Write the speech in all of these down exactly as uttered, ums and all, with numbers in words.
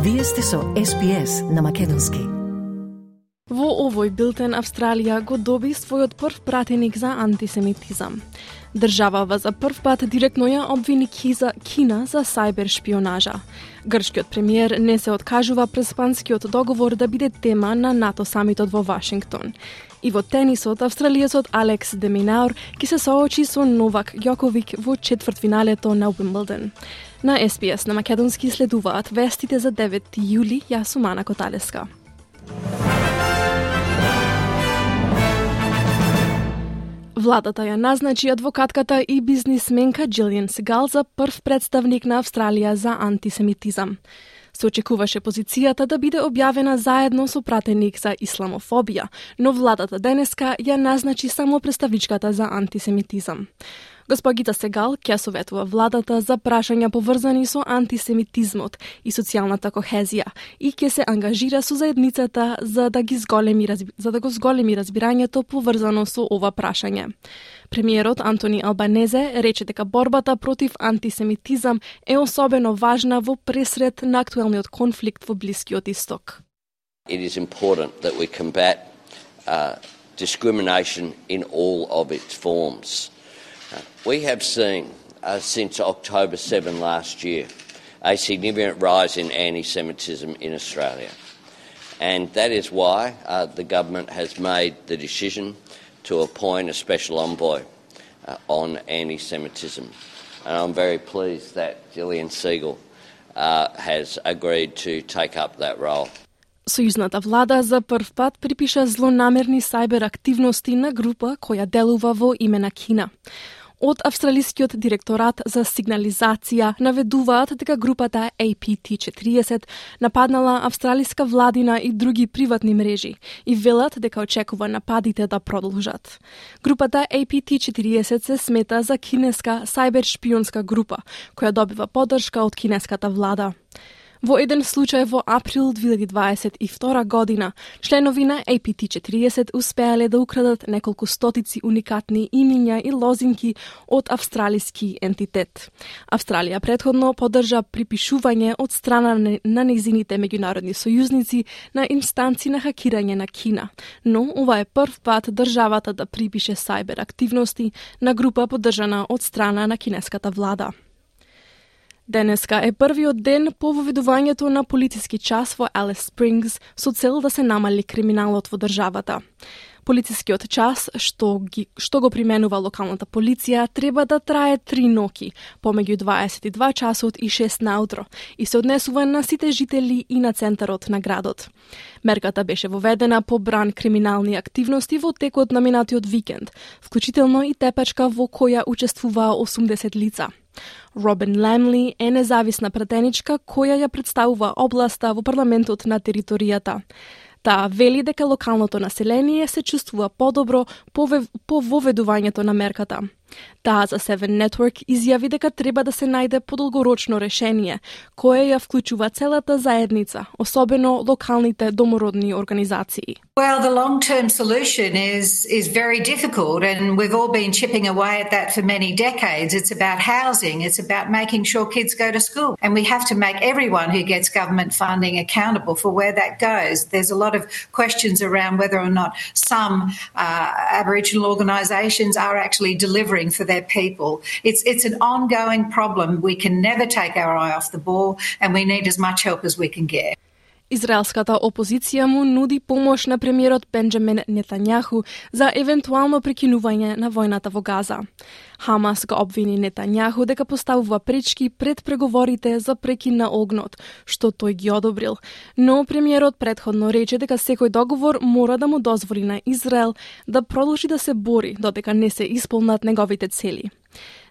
Вие сте со Ес Би Ес на македонски. Во овој билтен Австралија го доби својот прв пратеник за антисемитизам. Државава за прв пат директно ја обвини Кина за сајбер шпионажа. Грчкиот премиер не се откажува преспанскиот договор да биде тема на НАТО самитот во Вашингтон. И во тенисот, австралиецот Алекс де Минаур ќе се соочи со Новак Ѓоковик во четвртфиналето на Уимблдон. На Ес Би Ес на македонски следуваат вестите за деветти јули, јас сум Ана Коталеска. Владата ја назначи адвокатката и бизнисменка Джилијан Сегал за прв представник на Австралија за антисемитизам. Се очекуваше позицијата да биде објавена заедно со пратеник за исламофобија, но владата денеска ја назначи само представничката за антисемитизам. Госпогица Сегал ќе советува владата за прашања поврзани со антисемитизмот и социјалната кохезија и ќе се ангажира со заедницата за да ги зголеми за да го зголеми разбирањето поврзано со ова прашање. Премиерот Антони Албанезе рече дека борбата против антисемитизам е особено важна во пресред на актуелниот конфликт во Блискиот Исток. It is important that we combat uh, discrimination in all of its forms. Uh, we have seen uh, since October seventh last year a significant rise in anti-Semitism in Australia. And that is why uh, the government has made the decision to appoint a special envoy uh, on anti-Semitism. And I'm very pleased that Gillian Segal uh, has agreed to take up that role. Сојузната влада за прв пат припиша злонамерни сајбер активности на група која делува во име на Кина. Од Австралискиот директорат за сигнализација наведуваат дека групата А Пи Ти четириесет нападнала австралиска владина и други приватни мрежи и велат дека очекува нападите да продолжат. Групата А Пи Ти четириесет се смета за кинеска сајбер шпионска група која добива поддршка од кинеската влада. Во еден случај во април две илјади дваесет и втора година, членови на А Пи Ти четириесет успеале да украдат неколку стотици уникатни имиња и лозинки од австралиски ентитет. Австралија претходно поддржа припишување од страна на нејзините меѓународни сојузници на инстанци на хакирање на Кина, но ова е прв пат државата да припише сајбер активности на група поддржана од страна на кинеската влада. Денеска е првиот ден по воведувањето на полициски час во Алис Спрингс со цел да се намали криминалот во државата. Полицискиот час, што, ги, што го применува локалната полиција, треба да трае три ноки, помеѓу дваесет и два часот и шест наутро, и се однесува на сите жители и на центарот на градот. Мерката беше воведена по бран криминални активности во текот на минатиот викенд, вклучително и тепачка во која учествуваа осумдесет лица. Робин Лемли е независна пратеничка која ја представува областа во парламентот на територијата. Таа вели дека локалното население се чувствува подобро по, по воведувањето на мерката. Таа за Seven Network изјави дека треба да се најде подолгорочно решение, кое ја вклучува целата заедница, особено локалните домородни организации. Well, the long-term solution is is very difficult, and we've all been chipping away at that for many decades. It's about housing, it's about making sure kids go to school, and we have to make everyone who gets government funding accountable for where that goes. There's a lot of questions around whether or not some uh, Aboriginal organisations are actually delivering for their people. It's it's an ongoing problem. We can never take our eye off the ball, and we need as much help as we can get. Израелската опозиција му нуди помош на премиерот Бенџамин Нетањаху за евентуално прекинување на војната во Газа. Хамас го обвини Нетањаху дека поставува пречки пред преговорите за прекин на огнот, што тој ги одобрил, но премиерот претходно рече дека секој договор мора да му дозволи на Израел да продолжи да се бори додека не се исполнат неговите цели.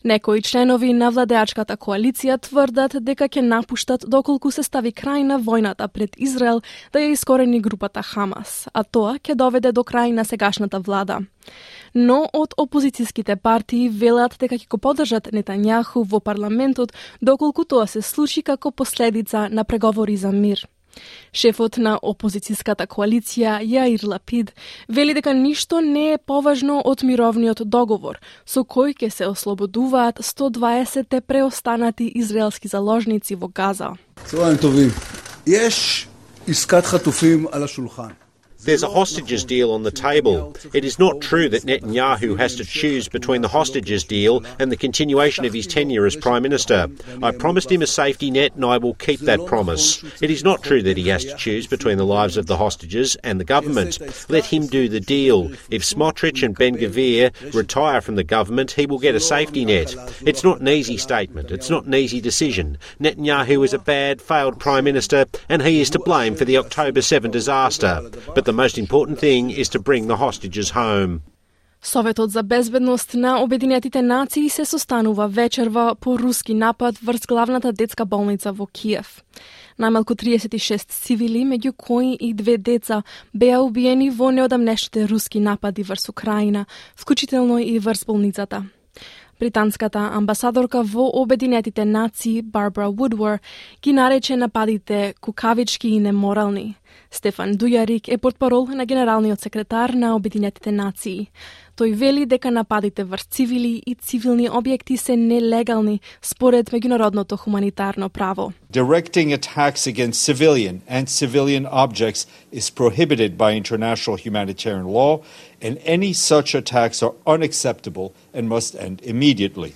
Некои членови на владеачката коалиција тврдат дека ќе напуштат доколку се стави крај на војната пред Израел да ја искорени групата Хамас, а тоа ќе доведе до крај на сегашната влада. Но од опозицијските партии велат дека ќе го поддржат Нетањаху во парламентот доколку тоа се случи како последица на преговори за мир. Шефот на опозицијската коалиција Јаир Лапид вели дека ништо не е поважно од мировниот договор, со кој ќе се ослободуваат сто дваесет преостанати израелски заложници во Газа. צהריים טובים. יש עסקת חטופים על השולחן. There's a hostages deal on the table. It is not true that Netanyahu has to choose between the hostages deal and the continuation of his tenure as Prime Minister. I promised him a safety net and I will keep that promise. It is not true that he has to choose between the lives of the hostages and the government. Let him do the deal. If Smotrich and Ben-Gvir retire from the government, he will get a safety net. It's not an easy statement. It's not an easy decision. Netanyahu is a bad, failed Prime Minister and he is to blame for the October seventh disaster. But the The most important thing is to bring the hostages home. Советот за безбедност на Обединетите нации се состанува вечерва по руски напад врз главната детска болница во Киев. Најмалку триесет и шест цивили, меѓу кои и две деца, беа убиени во неодамнешните руски напади врз Украина, вклучително и врз болницата. Британската амбасадорка во Обединетите нации, Барбара Вудвор, ги нарече нападите кукавички и неморални. Стефан Дујарик е портпарол на генералниот секретар на Обединетите нации. Тој вели дека нападите врз цивили и цивилни објекти се нелегални според меѓународното хуманитарно право. Directing attacks against civilian and civilian objects is prohibited by international humanitarian law, and any such attacks are unacceptable and must end immediately.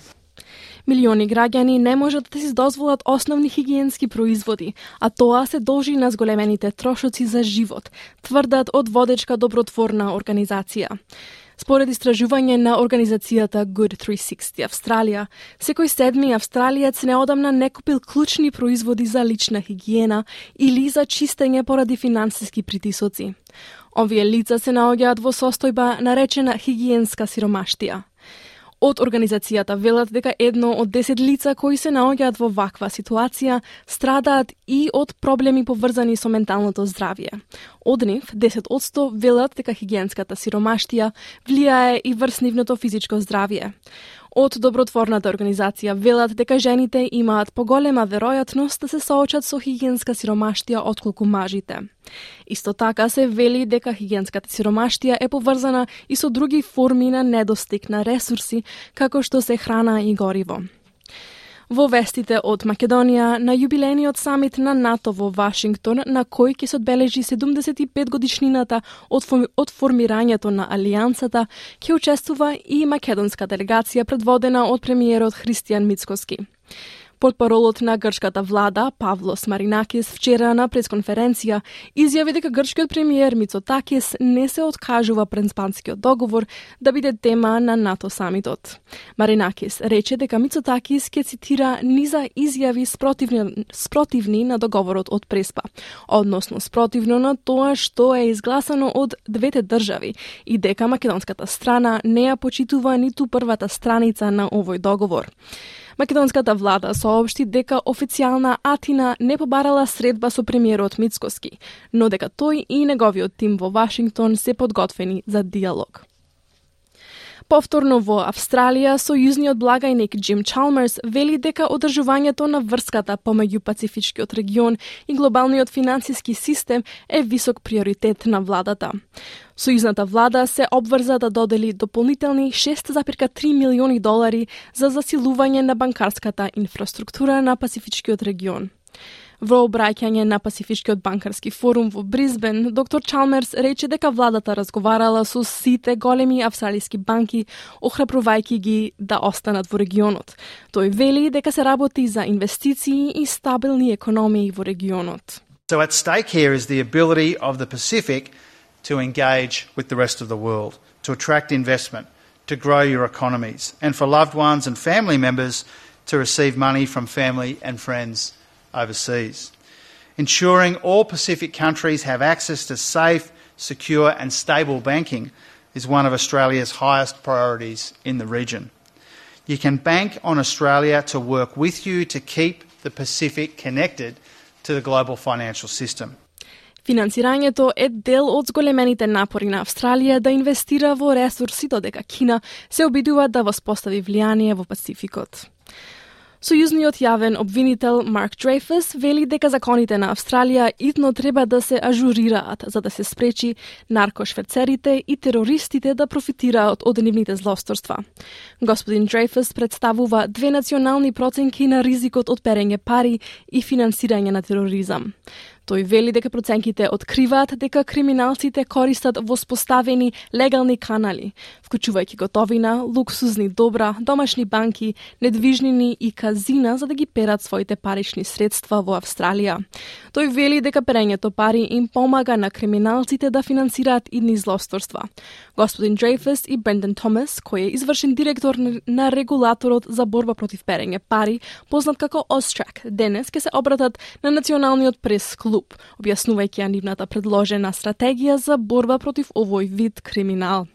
Милиони граѓани не можат да си дозволат основни хигиенски производи, а тоа се должи на зголемените трошоци за живот, тврдат од водечка добротворна организација. Според истражување на организацијата Good триста и шесте Австралија, секој седми австралиец неодамна не купил клучни производи за лична хигиена или за чистење поради финансиски притисоци. Овие лица се наоѓаат во состојба наречена хигиенска сиромаштија. Од организацијата велат дека едно од десет лица кои се наоѓаат во ваква ситуација страдаат и од проблеми поврзани со менталното здравје. Од нив, десет одсто велат дека хигиенската сиромаштија влијае и врз нивното физичко здравје. Од добротворната организација велат дека жените имаат поголема веројатност да се соочат со хигиенска сиромаштија отколку мажите. Исто така се вели дека хигиенската сиромаштија е поврзана и со други форми на недостиг на ресурси, како што се храна и гориво. Во вестите од Македонија, на јубилејниот самит на НАТО во Вашингтон, на кој ќе се одбележи седумдесет и пет годишнината од, од формирањето на Алијансата, ќе учествува и македонска делегација предводена од премиерот Христијан Мицкоски. Портпаролот на грчката влада, Павлос Маринакис, вчера на пресконференција изјави дека грчкиот премиер Мицотакис не се откажува Преспанскиот договор да биде тема на НАТО самитот. Маринакис рече дека Мицотакис ќе цитира низа изјави спротивни, спротивни на договорот од Преспа, односно спротивно на тоа што е изгласано од двете држави и дека македонската страна не ја почитува ниту првата страница на овој договор. Македонската влада соопшти дека официјална Атина не побарала средба со премиерот Мицкоски, но дека тој и неговиот тим во Вашингтон се подготвени за диалог. Повторно во Австралија, сојузниот благајник Джим Чалмерс вели дека одржувањето на врската помеѓу Пацифичкиот регион и глобалниот финансиски систем е висок приоритет на владата. Сојузната влада се обврза да додели дополнителни шест зарез три милиони долари за засилување на банкарската инфраструктура на Пацифичкиот регион. Во обраќање на Пацифичкиот банкарски форум во Брисбен, доктор Чалмерс рече дека владата разговарала со сите големи австралиски банки, охрабрувајќи ги да останат во регионот. Тој вели дека се работи за инвестиции и стабилни економии во регионот. So at stake here is the ability of the Pacific to engage with the rest of the world, to attract investment, to grow your economies, and for loved ones and family members to receive money from family and friends overseas. Ensuring all Pacific countries have access to safe, secure and stable banking is one of Australia's highest priorities in the region. You can bank on Australia to work with you to keep the Pacific connected to the global financial system. Финансирањето е дел од зголемените напори на Австралија да инвестира во ресурси, додека Кина се обидува да воспостави влијание во Пацификот. Сојузниот јавен обвинител Марк Дрейфус вели дека законите на Австралија итно треба да се ажурираат за да се спречи наркошверцерите и терористите да профитираат од нивните злосторства. Господин Дрейфус представува две национални проценки на ризикот од перење пари и финансирање на тероризам. Тој вели дека проценките откриваат дека криминалците користат воспоставени легални канали, вклучувајќи готовина, луксузни добра, домашни банки, недвижнини и казина за да ги перат своите парични средства во Австралија. Тој вели дека перењето пари им помага на криминалците да финансираат идни злосторства. Господин Дрейфус и Брендан Томас, кој е извршен директор на регулаторот за борба против перење пари, познат како Austrac, денес ќе се обратат на Националниот прес-клуб, објаснувајќи ја нивната предложена стратегија за борба против овој вид криминал.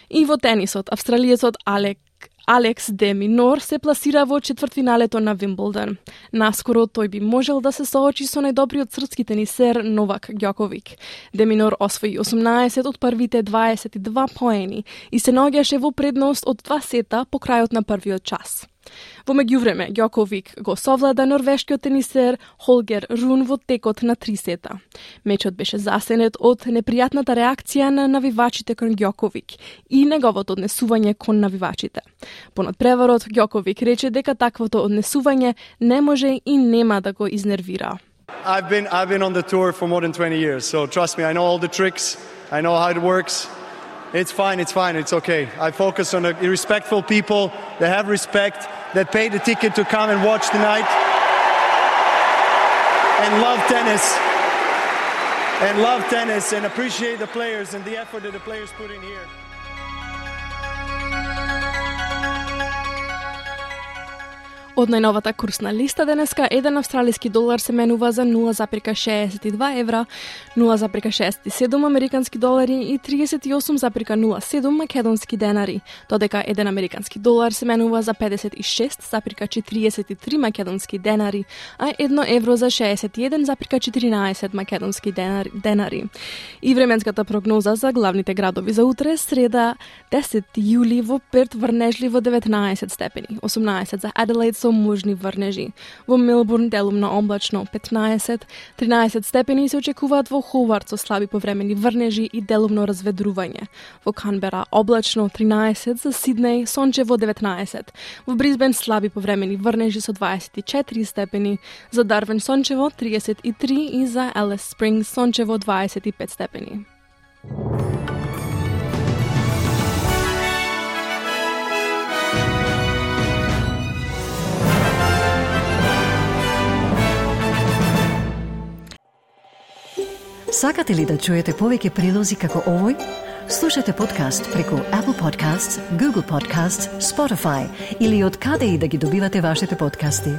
И во тенисот, австралиецот Алек Алекс де Минор се пласира во четвртфиналето на Вимблдон. Наскоро тој би можел да се соочи со најдобриот српски тенисер Новак Ѓоковик. Де Минор освои осумнаесет од првите дваесет и два поени и се наоѓаше во предност од два сета по крајот на првиот час. Во меѓувреме, Ѓоковик го совлада норвешкиот тенисер Холгер Рун во текот на три сета. Мечот беше засенет од непријатната реакција на навивачите кон Ѓоковик и неговото однесување кон навивачите. По надпреварот, Ѓоковик рече дека таквото однесување не може и нема да го изнервира. I've been I've been on the tour for more than twenty years, so trust me, I know all the tricks, I know how it works. It's fine, it's fine, it's okay. I focus on the respectful people that have respect, that pay the ticket to come and watch tonight and love tennis. And love tennis and appreciate the players and the effort that the players put in here. Од најновата курсна листа денеска, еден австралиски долар се менува за нула запирка шеесет и два евра, нула запирка шеесет и седум американски долари и триесет и осум запирка нула седум македонски денари, додека еден американски долар се менува за педесет и шест запирка четириесет и три македонски денари, а едно евро за шеесет и еден запирка четиринаесет македонски денари. денари. И временската прогноза за главните градови за утре, среда десети јули во Перт врнежливо деветнаесет степени, осумнаесет за Аделаид со можни врнежи. Во Мелбурн делумно облачно петнаесет, тринаесет степени се очекуваат во Ховард со слаби повремени врнежи и делумно разведрување. Во Канбера облачно тринаесет, за Сиднеј сончево деветнаесет. Во Брисбен слаби повремени врнежи со дваесет и четири степени, за Дарвин сончево триесет и три и за Елис Спрингс сончево дваесет и пет степени. Сакате ли да чуете повеќе прилози како овој? Слушате подкаст преку Apple Podcasts, Google Podcasts, Spotify или од каде и да ги добивате вашите подкасти.